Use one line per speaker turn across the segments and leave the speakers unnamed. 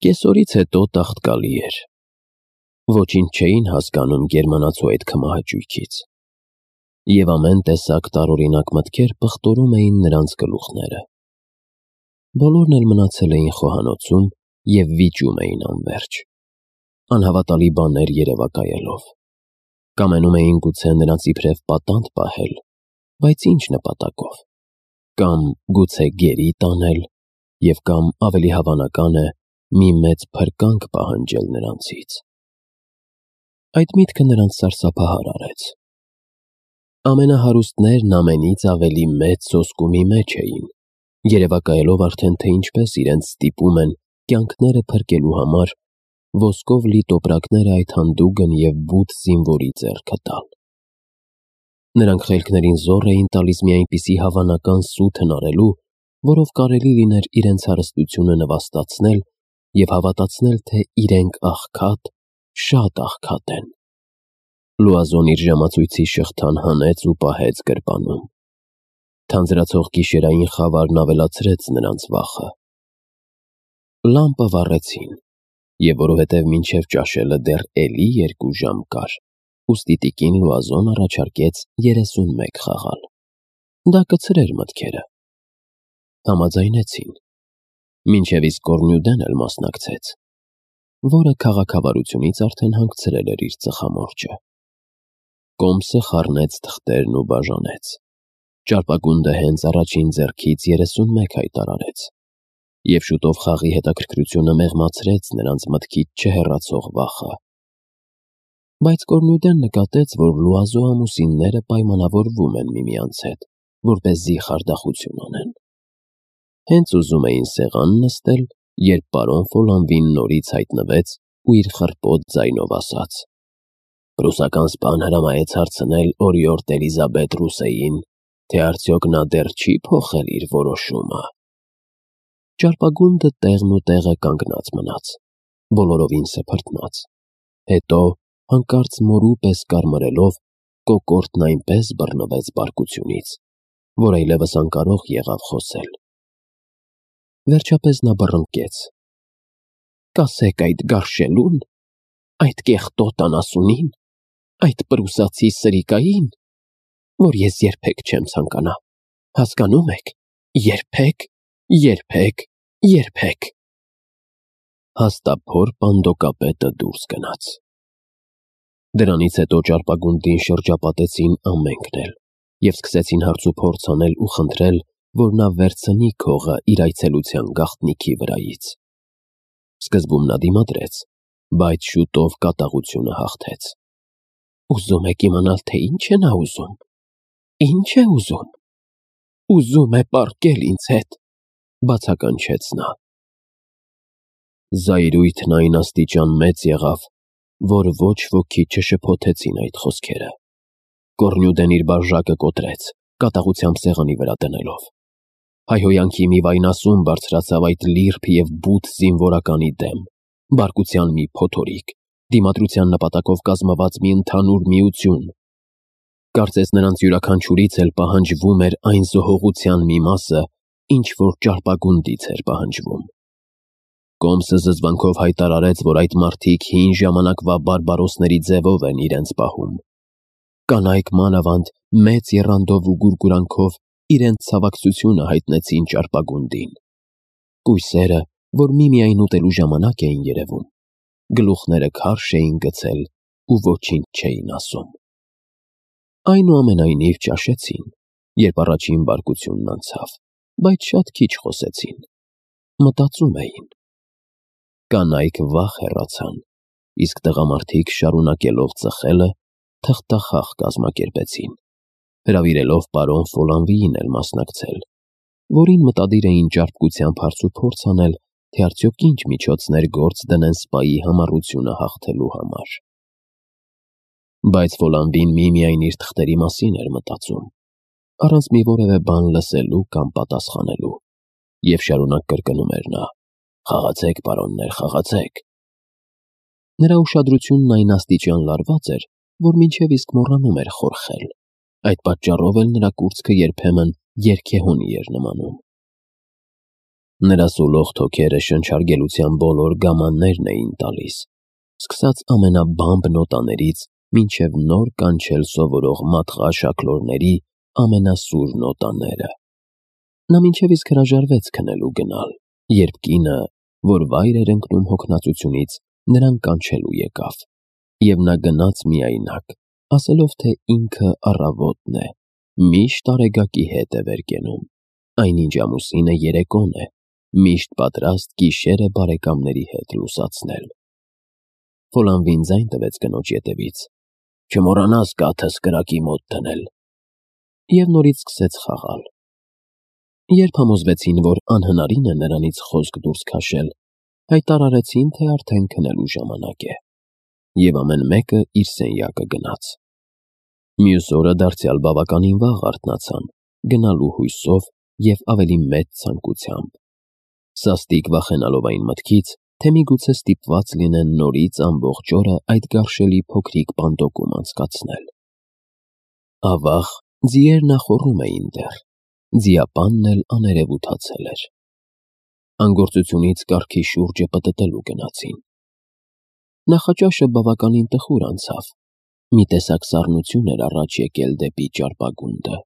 Կեսօրից հետո տաղտկալի էր։ Ոչինչ չէին հասկանում գերմանացու այդ քմահաճույքից։ Եվ ամեն տեսակ տարօրինակ մտքեր պղտորում էին նրանց գլուխները։ Բոլորն էլ մնացել էին խոհանոցում և վիճում էին անվերջ, անհավատալի բաներ երևակայելով։ Կամենում էին գուցե նրանց իբրև պատանդ պահել, բայց ինչ նպատակով, կամ գուցե գերի տանել, և կամ ավելի հավանական է, մի մեծ փրկանք պահանջել նրանցից։ Այդ միտքը նրանց սարսափահար արեց։ Ամենահարուստներն ամենից ավելի մեծ սոսկումի մեջ էին, երևակայելով արդեն, թե ինչպես իրենց ստիպում են կյանքները փրկելու համար ոսկով լի տոպրակները այդ հանդուգն և բութ զինվորի ձեռքը տալ։ Նրանք խելքներին զոռ էին տալիս մի այնպիսի հավանական սուտ հնարելու, որով կարելի լիներ իրենց հարստությունը նվաստացնել և հավատացնել, թե իրենք աղքատ, շատ աղքատ են։ Լուազոն իր ժամացույցի շղթան հանեց ու պահեց գրպանում։ Թանձրացող գիշերային խավարն ավելացրեց նրանց վախը։ Լամպը վառեցին, և որովհետև մինչև ճաշելը դեռ էլի 2 ժամ կար, ուստի տիկին Լուազոն առաջարկեց 31 խաղալ։ Դա կցրեր մտքերը։ Համաձայնեցին, մինչև իսկ Կոռնյուդեն էլ մասնակցեց, որը քաղաքավարությունից արդեն հանգցրել էր իր ծխամորճը։ Կոմսը խառնեց թղթերն ու բաժանեց։ Ճարպագունդը հենց առաջին ձեռքից 31 հայտարարեց, և շուտով խաղի հետաքրքրությունը մեղմացրեց նրանց մտքից չհեռացող վախը։ Բայց Կոռնյուդեն նկատեց, որ Լուազո ամուսինները պայմանավորվում են միմյանց հետ, որպեսզի խարդախություն անեն։ Հենց ուզում էին սեղան նստել, երբ պարոն Ֆոլանվին նորից հայտնվեց ու իր խռպոտ ձայնով ասաց. «Պրուսական սպան հրամայեց հարցնել օրիորդ Էլիզաբետ Ռուսեին, թե արդյոք նա դեռ չի փոխել իր որոշումը»։ Ճարպագունդը տեղն ու տեղը կանգնած մնաց, բոլորովին սփռտնած, հետո, հանկարծ մորու պես կարմրելով, կոկորդն այնպես բռնվեց բարկությունից, որ այլևս անկարող եղավ խոսել։ Վերջապես նա բռնկեց. «Կասեք այդ գարշելո՞ւն, այդ կեղտոտ անասունին, այդ պրուսացի սրիկային, որ ես երբեք չեմ ցանկանա, հասկանո՞ւմ եք, երբեք»։ Հաստափոր պանդոկապետը դուրս գնաց։ Դրանից հետո ճարպագունդին շրջապատեցին ամենքն էլ և սկսեցին հարցուփորձ անել ու խնդրել, որ նա վերցնի քողը իր այցելության գաղտնիքի վրայից։ Սկզբում նա դիմադրեց, բայց շուտով կատաղությունը հաղթեց։ «Ուզում եք իմանալ, թե ինչ է նա ուզում։ Ինչ է ուզում։ Ուզում է պառկել ինձ հետ», բացականչեց նա։ Զայրույթն այն աստիճան մեծ եղավ, որ ոչ ոքի չշփոթեցին այդ խոսքերը։ Կոռնյուդեն իր բաժակը կոտրեց, կատաղությամբ սեղանի վրա դնելով։ Հայհոյանքի մի վայնասուն բարձրացավ այդ լիրբ և բութ զինվորականի դեմ, բարկության մի փոթորիկ, դիմադրության նպատակով կազմված մի ընդհանուր միություն։ Կարծես նրանց յուրաքանչյուրից էլ պահանջվում էր այն զոհողության մի մասը, ինչ որ ճարպագունդից էր պահանջվում։ Կոմսը զզվանքով հայտարարեց, որ այդ մարդիկ հին ժամանակվա բարբարոսների ձևով են իրենց պահում։ Կանայք մանավանդ մեծ եռանդով ու գուրգուրանքով իրենց ցավակցությունը հայտնեցին ճարպագունդին։ Կույսերը, որ միմիայն ուտելու ժամանակ էին երևում, գլուխները քարշ էին գցել ու ոչինչ չէին ասում։ Այնուամենայնիվ ճաշեցին, երբ առաջին բարկությունն անցավ, բայց շատ քիչ խոսեցին։ Մտածում էին։ Կանայք վախ հեռացան, իսկ տղամարդիկ շարունակելով ծխելը, թղթախաղ կազմակերպեցին, հրավիրելով պարոն Ֆոլանվիին էլ մասնակցել, որին մտադիր էին ճարպկությամբ հարցուփորձ անել, թե արդյոք ինչ միջոցներ գործ դնեն սպայի համառությունը հաղթելու համար։ Բայց Ֆոլանվին միմիայն իր թղթերի մասին էր մտածում, առանց մի որևէ բան լսելու կամ պատասխանելու, և շարունակ կրկնում էր նա. «Խաղացեք, պարոններ, խաղացեք»։ Նրա ուշադրությունն այն աստիճան լարված էր, որ մինչև իսկ մոռանում էր խորխել։ Այդ պատճառով էլ նրա կուրծքը երբեմն երգեհոնի էր նմանում։ Նրա սուլող թոքերը շնչարգելության բոլոր գամաններն էին տալիս, սկսած ամենաբամբ նոտաներից մինչև նոր կանչել սովորող մատղաշաքլորների ամենասուր նոտաները։ Նա մինչև իսկ հրաժարվեց քնելու գնալ, երբ կինը, որ վայր էր ընկնում հոգնածությունից, նրան կանչելու եկավ, և նա գնաց միայնակ, ասելով, թե ինքը առավոտն է, միշտ Արեգակի հետ է վեր կենում, այնինչ ամուսինը երեկոն է, միշտ պատրաստ գիշերը բարեկամների հետ լուսացնել։ Ֆոլանվին ձայն տվեց կնոջ ետևից. «Չմոռանաս կաթս կրակի մոտ դնել», և նորից սկսեց խաղալ։ Երբ համոզվեցին, որ անհնարին է նրանից խոսք դուրս քաշել, հայտարարեցին, թե արդեն քնելու ժամանակ է, և ամեն մեկը իր սենյակը գնաց։ Մյուս օրը դարձյալ բավականին վաղ արթնացան, գնալու հույսով և ավելի մեծ ցանկությամբ, սաստիկ վախենալով այն մտքից, թե միգուցե ստիպված լինեն նորից ամբողջ օրը այդ գարշելի փոքրիկ պանդոկում անցկացնել։ Ավաղ ձիերն ախոռում էին դեռ, ձիապանն էլ աներևութացել էր։ Անգործությունից կառքի շուրջը պտտելու գնացին։ Նախաճաշը բավականին տխուր անցավ, մի տեսակ սառնություն էր առաջ եկել դեպի ճարպագունդը,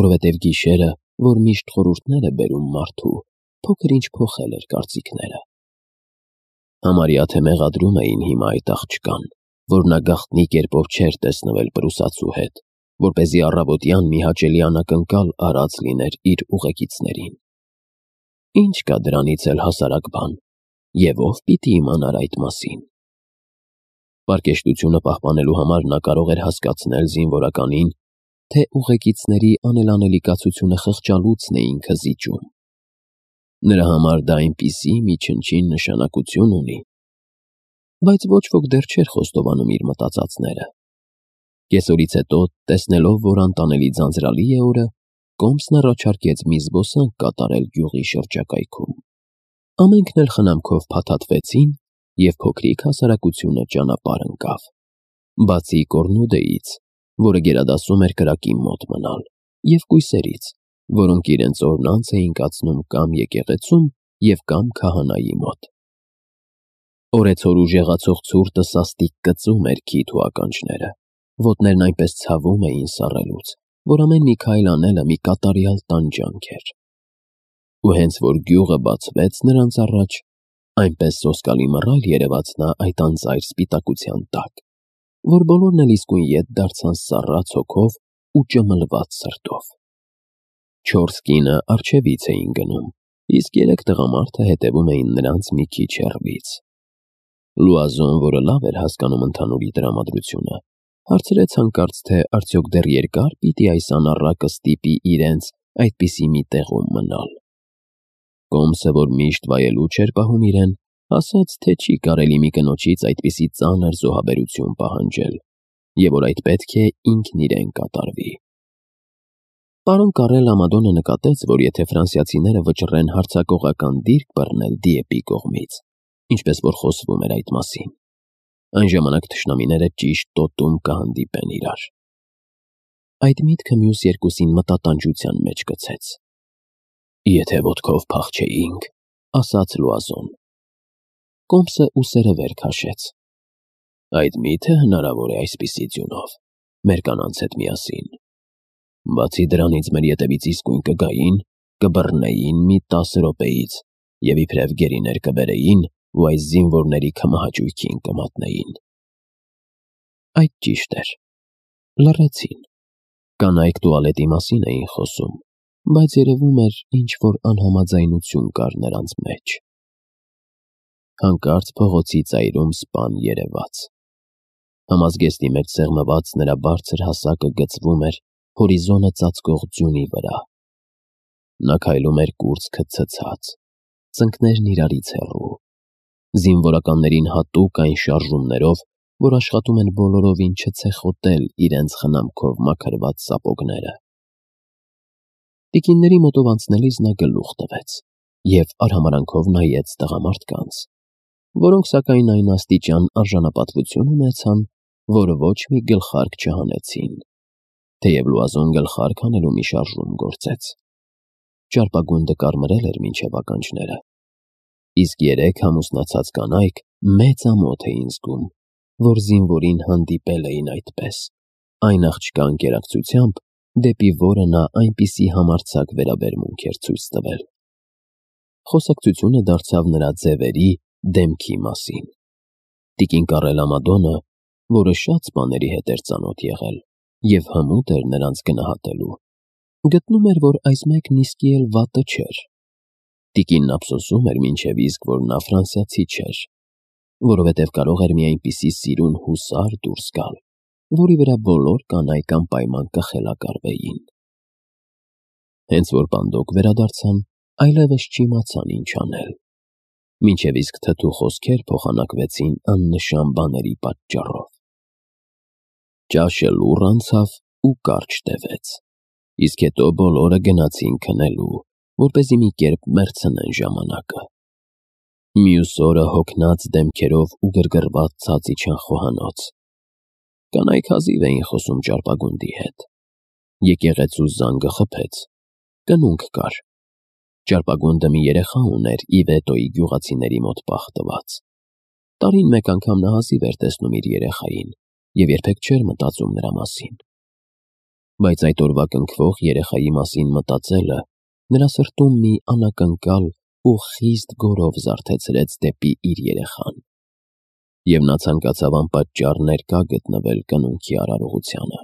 որովհետև գիշերը, որ միշտ խորհուրդներ է բերում մարդու, փոքր-ինչ փոխել էր կարծիքները։ Համարյա թե մեղադրում էին հիմա այդ աղջկան, որ նա գաղտնի կերպով չէր տեսնվել պրուսացու հետ, որպեսզի առավոտյան մի հաճելի անակնկալ արած լիներ իր ուղեկիցներին։ Ինչ կա դրանից էլ հասարակ բան, և ով պիտի իմանար այդ մասին։ Պարկեշտությունը պահպանելու համար նա կարող էր հասկացնել զինվորականին, թե ուղեկիցների անելանելի կացությունը խղճալուցն է ինքը զիջում։ Նրա համար դա այնպիսի մի չնչին նշանակություն ունի, բայց ոչ ոք դեռ չէր խոստովանում իր մտածածները։ Կեսօրից հետո, տեսնելով, որ անտանելի ձանձրալի է օրը, Կոմսն առաջարկեց մի զբոսանք կատարել գյուղի շրջակայքում։ Ամենքն էլ խնամքով փաթաթվեցին, և փոքրիկ հասարակությունը ճանապարհ ընկավ, բացի Կոռնյուդեից, որը գերադասում էր կրակի մոտ մնալ, և կույսերից, որոնք իրենց օրն անց էին կացնում կամ եկեղեցում և կամ քահանայի մոտ։ Օրեցօր ուժեղացող ցուրտը սաստիկ կծում էր քիթ ու ականջները, ոտներն այնպես ցավում էին սառելուց, որ ամեն մի քայլ անելը մի կատարյալ տանջանք էր։ Ու հենց որ գյուղը բացվեց նրանց առաջ, այնպես սոսկալի մռայլ երևաց նա այդ անծայր սպիտակության տակ, որ բոլորն էլ իսկույն ետ դարձան սառած հոգով ու ճմլված սրտով։ 4 կինը առջևից էին գնում, իսկ 3 տղամարդը հետևում էին նրանց մի քիչ հեռվից։ Լուազոն, որը լավ էր հասկանում ընդհանուր տրամադրությունը, հարցրեց հանկարծ, թե արդյոք դեռ երկա՞ր պիտի այս անառակը ստիպի իրենց այդպիսի մի տեղում մնալ։ Կոմսը, որ միշտ վայելուչ էր պահում իրեն, ասաց, թե չի կարելի մի կնոջից այդպիսի ծանր զոհաբերություն պահանջել, և որ այդ պետք է ինքն իրեն կատարվի։ Պարոն Կարել Ամադոնը նկատեց, որ եթե ֆրանսիացիները վճռեն հարձակողական դիրք բռնել Դիեպի կողմից, ինչպես որ խոսվում էր այդ մասին, այն ժամանակ թշնամիները ճիշտ տոտում կհանդիպեն իրար։ Այդ միտքը մյուս երկուսին մտատանջության մեջ գցեց։ «Եթե ոտքով փախչեինք», ասաց Լուազոն։ Կոմսը ուսերը վեր քաշեց։ «Այդ մի՞թե հնարավոր է այսպիսի ձյունով, մեր կանանց հետ միասին։ Բացի դրանից մեր ետևից իսկույն կգային, կբռնեին մի 10 րոպեից և իբրև գերիներ կբերեին ու այս զինվորների քմահաճույքին կմատնեին»։ Այդ ճիշտ էր։ Լռեցին։ Կանայք տուալետի մասին էին խոսում, բայց երևում էր ինչ-որ անհամաձայնություն կար նրանց մեջ։ Հանկարծ փողոցի ծայրում սպան երևաց։ Համազգեստի մեջ սեղմված նրա բարձր հասակը գծվում էր հորիզոնը ծածկող ձյունի վրա։ Նա քայլում էր կուրծքը ցցած, ծնկներն իրարից հեռու, զինվորականներին հատուկ այն շարժումներով, որ աշխատում են բոլորովին չցեխոտել իրենց խնամքով մաքրված սապոգները։ Տիկինների մոտով անցնելիս նա գլուխ տվեց և արհամարհանքով նայեց տղամարդկանց, որոնք սակայն այն աստիճան արժանապատվություն ունեցան, որ ոչ մի գլխարկ չհանեցին, թեև Լուազոն գլխարկ հանելու մի շարժում գործեց։ ճարպագունդը կարմրել էր մինչև ականջները, իսկ երեք ամուսնացած կանայք մեծ ամոթ էին զգում, որ զինվորին հանդիպել էին այդպես, այն աղջկա ընկերակցությամբ, դեպի որը նա այնպիսի համարձակ վերաբերմունք էր ցույց տվել։ Խոսակցությունը դարձավ նրա ձևերի, դեմքի մասին։ Տիկին Կարել Ամադոնը, որը շատ սպաների հետ էր ծանոթ եղել և հմուտ էր նրանց գնահատելու, գտնում էր, որ այս մեկն իսկի էլ վատը չէր։ Տիկինն ափսոսում էր մինչև իսկ, որ նա ֆրանսիացի չէր, որովհետև կարող էր մի այնպիսի սիրուն հուսար դուրս գալ, որի վրա բոլոր կանայք անպայման կխելակարվեին։ Հենց որ բանդոկ վերադարձան, այլևս չիմացան ինչ անել, մինչև իսկ թթու խոսքեր փոխանակվեցին աննշան բաների պատճառով։ Ճաշը լուռ անցավ ու կարճ տևեց, իսկ հետո բոլորը գնացին քնելու, որպեսզի մի կերպ մեռցնեն ժամանակը։ Մյուս օրը հոգնած դեմքերով ու գրգռված ցած իջան խոհանոց։ Կանայք հազիվ էին խոսում ճարպագունդի հետ։ Եկեղեցու զանգը խփեց, կնունք կար։ Ճարպագունդը մի երեխա ուներ Իվետոյի գյուղացիների մոտ պահտված։ Տարին մեկ անգամ նա հազիվ էր տեսնում իր երեխային և երբեք չէր մտածում նրա մասին։ Բայց այդ օրվա կնքվող երեխայի մասին մտածելը նրա սրտում մի անակնկալ ու խիստ գորով զարթեցրեց դեպի իր երեխան, և նա ցանկացավ անպատճառ ներկա գտնվել կնունքի արարողությանը։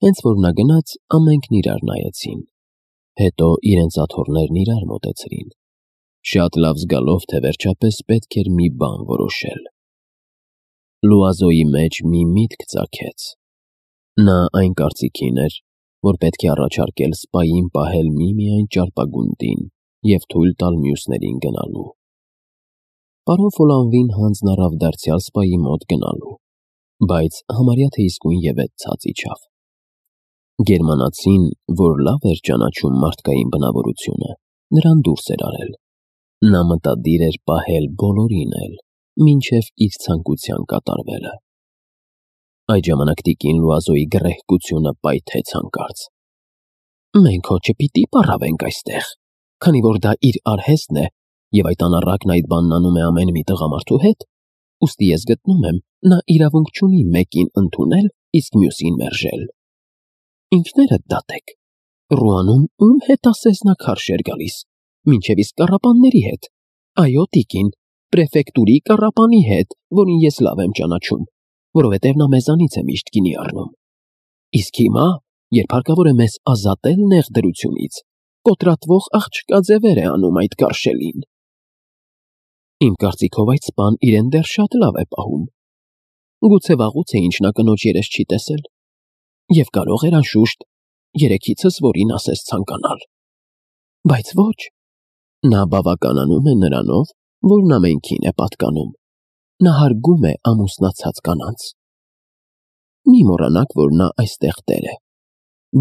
Հենց որ նա գնաց, ամենքն իրար նայեցին, հետո իրենց աթոռներն իրար մոտեցրին, շատ լավ զգալով, թե վերջապես պետք էր մի բան որոշել։ Լուազոյի մեջ մի միտք ծագեց։ Նա այն կարծիքին էր, որ պետք է առաջարկել սպային պահել միմիայն ճարպագունդին և թույլ տալ մյուսներին գնալու։ Պարոն Ֆոլանվին հանձն առավ դարձյալ սպայի մոտ գնալու, բայց համարյա թե իսկույնևեթ ցած իջավ։ Գերմանացին, որ լավ էր ճանաչում մարդկային բնավորությունը, նրան դուրս էր արել։ Նա մտադիր էր պահել բոլորին էլ, մինչև իր ցանկության կատարվելը։ Այդ ժամանակ տիկին Լուազոյի գռեհկությունը պայթեց հանկարծ։ «Մենք հո չպիտի պառավենք այստեղ, քանի որ դա իր արհեստն է, և այդ անառակն այդ բանն անում է ամեն մի տղամարդու հետ, ուստի ես գտնում եմ, նա իրավունք չունի մեկին ընդունել, իսկ մյուսին մերժել։ Ինքներդ դատեք, Ռուանում ում հետ ասես նա քարշ էր գալիս, մինչև իսկ կառապանների հետ, այո տիկին, պրեֆեկտուրի կառապանի հետ, որին ես լավ եմ ճանաչում, որովհետև նա մեզանից է միշտ գինի առնում։ Իսկ հիմա, երբ հարկավոր է մեզ ազատել նեղ դրությունից, կոտրատվող աղջկա ձևեր է անում այդ գարշելին։ Իմ կարծիքով այդ սպան իրեն դեռ շատ լավ է պահում։ Գուցե վաղուց է ինչ նա կնոջ երես չի տեսել, և կարող էր անշուշտ երեքիցս որին ասես ցանկանալ։ Բայց ոչ, նա բավականանում է նրանով, որն ամենքին է պատկանում։ Նա հարգում է ամուսնացած կանանց։ Մի մոռանաք, որ նա այստեղ տեր է։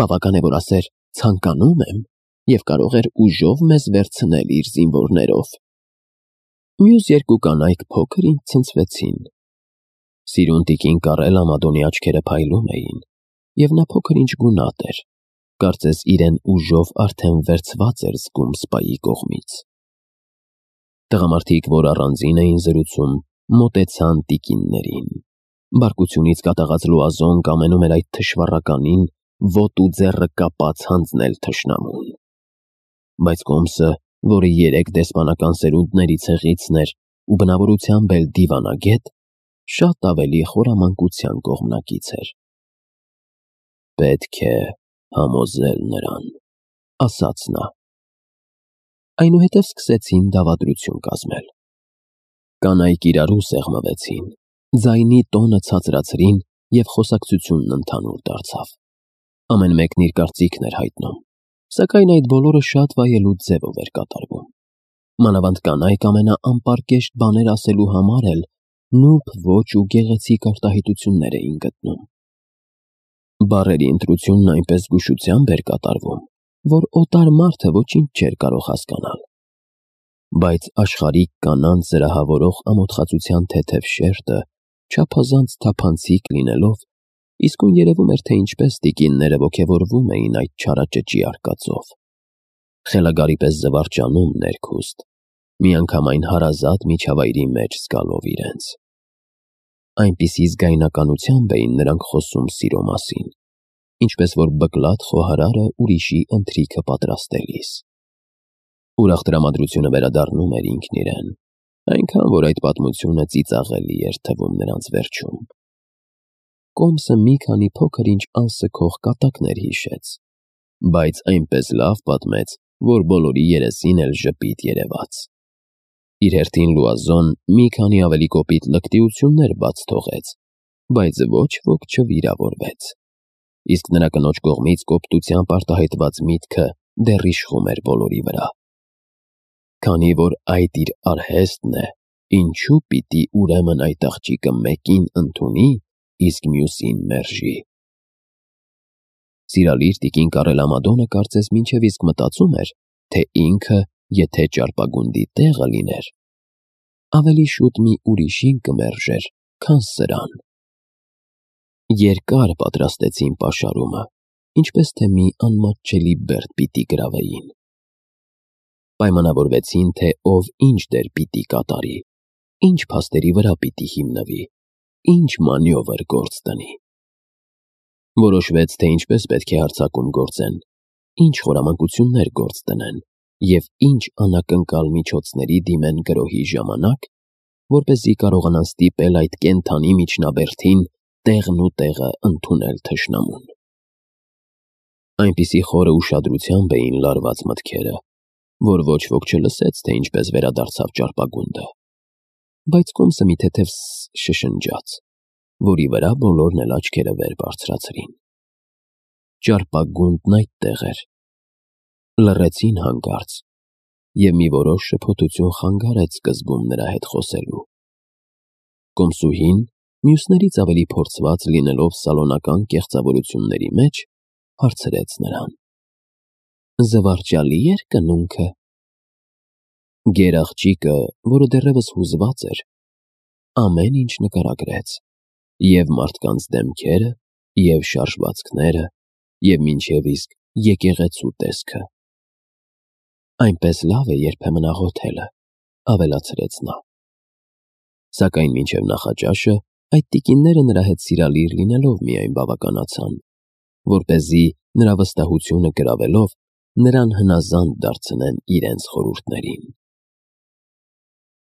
Բավական է, որ ասեր «ցանկանում եմ» և կարող էր ուժով մեզ վերցնել իր զինվորներով։ Մյուս երկու կանայք փոքր-ինչ ցնցվեցին։ Սիրուն տիկին Կարել Ամադոնի աչքերը փայլում էին, և նա փոքր-ինչ գունատ էր, կարծես իրեն ուժով արդեն վերցված էր զգում սպայի կողմից։ Տղամարդիկ, որ առանձին էին զրուցում, մոտեցան տիկիններին։ Բարկությունից կատաղած Լուազոն կամենում էր այդ թշվառականին ոտու ձեռը կապած հանձնել թշնամուն։ Բայց Կոմսը, որը 3 դեսպանական սերունդների ցեղիցն էր ու բնավորությամբ էլ դիվանագետ, շատ ավելի խորամանկության կողմնակից էր։ Պետք է համոզել նրան, ասաց նա։ Այնուհետև սկսեցին դավադրություն կազմել։ Կանայք իրարու սեղմվեցին, ձայնի տոնը ցածրացրին և խոսակցությունն ընդհանուր դարձավ։ Ամեն մեկն իր կարծիքն էր հայտնում, սակայն այդ բոլորը շատ վայելուչ ձևով էր կատարվում։ Մանավանդ կանայք ամենաանպարկեշտ բաներ ասելու համար էլ նուրբ ոճ ու գեղեցիկ արտահայտություններ էին գտնում։ Բառերի ընտրությունն այնպես զգուշությամբ էր կատարվում, որ օտար մարդը ոչինչ չէր կարող հասկանալ։ Բայց աշխարհիկ կանանց զրահավորող ամոթխածության թեթև շերտը չափազանց թափանցիկ լինելով, իսկույն երևում էր, թե ինչպես տիկինները ոգևորվում էին այդ չարաճճի արկածով։ խելագարի պես զվարճանում ներքուստ, միանգամայն հարազատ միջավայրի մեջ զգալով իրենց։ Այնպիսի զգայնականությամբ էին նրանք խոսում սիրո մասին, ինչպես որ բկլատ խոհարարը ուրիշի ընթրիքը պատրաստելիս։ Ուրախ տրամադրությունը վերադառնում էր ինքն իրեն, այնքան որ այդ պատմությունը ծիծաղելի էր թվում նրանց վերջում։ Կոմսը մի քանի փոքր-ինչ անսքող կատակներ հիշեց, բայց այնպես լավ պատմեց, որ բոլորի երեսին էլ ժպիտ երևաց։ Իր հերթին Լուազոն մի քանի ավելի կոպիտ լկտիություններ բաց թողեց, բայց ոչ ոք չվիրավորվեց։ Իսկ նրա կնոջ կողմից կոպտությամբ արտահայտված միտքը դեռ իշխում էր բոլորի վրա։ Քանի որ այդ իր արհեստն է, ինչու պիտի ուրեմն այդ աղջիկը մեկին ընդունի, իսկ մյուսին մերժի։ Սիրալիր տիկին Կարելամադոնը կարծես մինչև իսկ մտածում էր, թե ինքը, եթե ճարպագունդի տեղը լիներ, ավելի շուտ մի ուրիշին կմերժեր, քան սրան։ Երկար պատրաստեցին պաշարումը, ինչպես թե մի անմատչելի բերդ պիտի գրավեին։ Պայմանավորվեցին, թե ով ինչ դեր պիտի կատարի, ինչ փաստերի վրա պիտի հիմնվի, ինչ մանյովր գործ տնի։ Որոշվեց, թե ինչպես պետք է հարձակում գործեն, ինչ խորամանկություններ գործ տնեն և ինչ անակնկալ միջոցների դիմեն գրոհի ժամանակ, որպեսզի կարողանան ստիպել այդ կենդանի միջնաբերդին տեղն ու տեղը ընդունել թշնամուն։ Այնպիսի խորը ուշադրությամբ էին լարված մտքերը, որ ոչ ոք չլսեց, թե ինչպես վերադարձավ ճարպագունդը, բայց Կոմսը մի թեթև շշնջաց, որի վրա բոլորն էլ աչքերը վեր բարձրացրին։ Ճարպագունդն այդտեղ էր։ Լռեցին հանկարծ, և մի որոշ շփոթություն խանգարեց սկզբում նրա հետ խոսելու։ Կոմսուհին, մյուսներից ավելի փորձված լինելով սալոնական կեղծավորությունների մեջ, հարցրեց նրան. «Զվարճալի էր կնունքը»։ Գերաղջիկը, որը դեռևս հուզված էր, ամեն ինչ նկարագրեց, և մարդկանց դեմքերը, և շարժվածքները, և մինչև իսկ եկեղեցու տեսքը։ «Այնպես լավ է երբեմն աղոթելը», ավելացրեց նա։ Սակայն մինչև նախաճաշը այդ տիկինները նրա հետ սիրալիր լինելով միայն բավականացան, որպեսզի նրա վստահությունը գրավելով նրան հնազանդ դարձնեն իրենց խորհուրդներին։